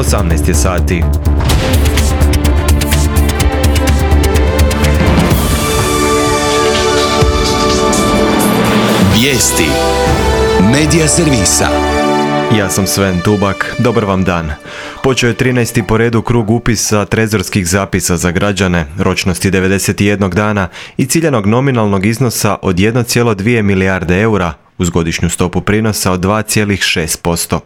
18 je sati. Vijesti Medija servisa. Ja sam Sven Tubak, dobar vam dan. Počeo je 13. po redu krug upisa trezorskih zapisa za građane, ročnosti 91 dana i ciljanog nominalnog iznosa od 1,2 milijarde eura, uz godišnju stopu prinosa od 2,6%.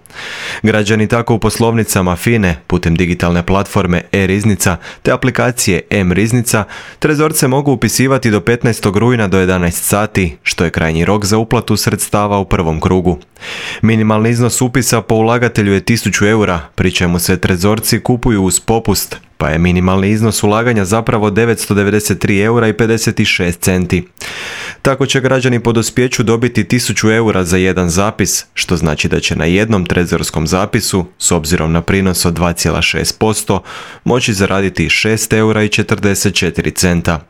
Građani tako u poslovnicama FINE, putem digitalne platforme e-riznica te aplikacije m-riznica, trezorce mogu upisivati do 15. rujna do 11 sati, što je krajnji rok za uplatu sredstava u prvom krugu. Minimalni iznos upisa po ulagatelju je 1000 eura, pri čemu se trezorci kupuju uz popust, pa je minimalni iznos ulaganja zapravo 993 eura i 56 centi. Tako će građani po dospjeću dobiti 1000 eura za jedan zapis, što znači da će na jednom trezorskom zapisu, s obzirom na prinos od 2,6%, moći zaraditi 6 eura i 44 centa.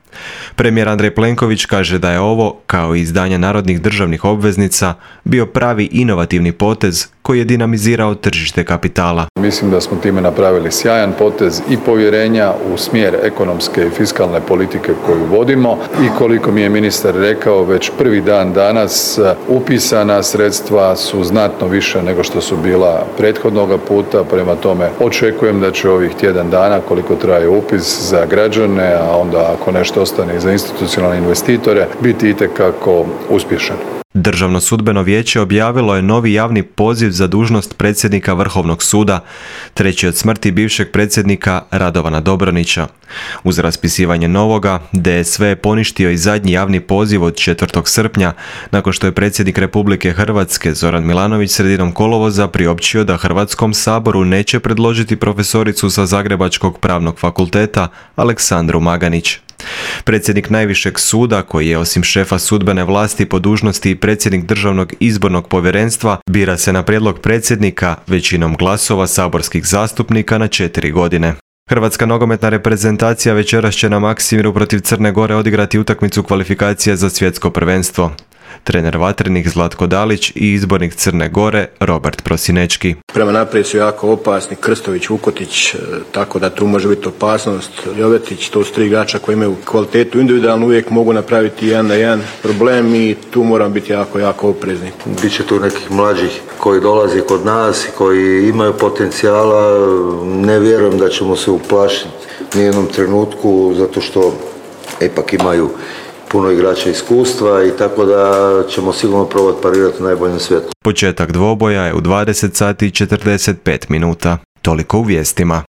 Premijer Andrej Plenković kaže da je ovo, kao i izdanje narodnih državnih obveznica, bio pravi inovativni potez koji je dinamizirao tržište kapitala. Mislim da smo time napravili sjajan potez i povjerenja u smjer ekonomske i fiskalne politike koju vodimo i koliko mi je ministar rekao, već prvi dan danas upisana sredstva su znatno više nego što su bila prethodnoga puta, prema tome očekujem da će ovih tjedan dana koliko traje upis za građane, a onda ako nešto ostane i za institucionalne investitore, biti itekako uspješan. Državno sudbeno vijeće objavilo je novi javni poziv za dužnost predsjednika Vrhovnog suda, treći od smrti bivšeg predsjednika Radovana Dobronića. Uz raspisivanje novoga, DSV je poništio i zadnji javni poziv od 4. srpnja, nakon što je predsjednik Republike Hrvatske Zoran Milanović sredinom kolovoza priopćio da Hrvatskom saboru neće predložiti profesoricu sa Zagrebačkog pravnog fakulteta Aleksandru Maganić. Predsjednik najvišeg suda, koji je osim šefa sudbene vlasti po dužnosti i predsjednik Državnog izbornog povjerenstva, bira se na prijedlog predsjednika većinom glasova saborskih zastupnika na 4 godine. Hrvatska nogometna reprezentacija večeras će na Maksimiru protiv Crne Gore odigrati utakmicu kvalifikacija za svjetsko prvenstvo. Trener Vatrenih Zlatko Dalić i izbornik Crne Gore Robert Prosinečki. Prema naprijed su jako opasni Krstović, Vukotić, tako da tu može biti opasnost. Jovetić, to su 3 igrača koji imaju kvalitetu individualno, uvijek mogu napraviti 1-1 problem i tu moram biti jako oprezni. Biće tu nekih mlađih koji dolaze kod nas, koji imaju potencijala. Ne vjerujem da ćemo se uplašiti nijednom trenutku, zato što ipak imaju puno igrača iskustva i tako da ćemo sigurno probati parirati u najboljem svijetu. Početak dvoboja je u 20 sati i 45 minuta. Toliko u vijestima.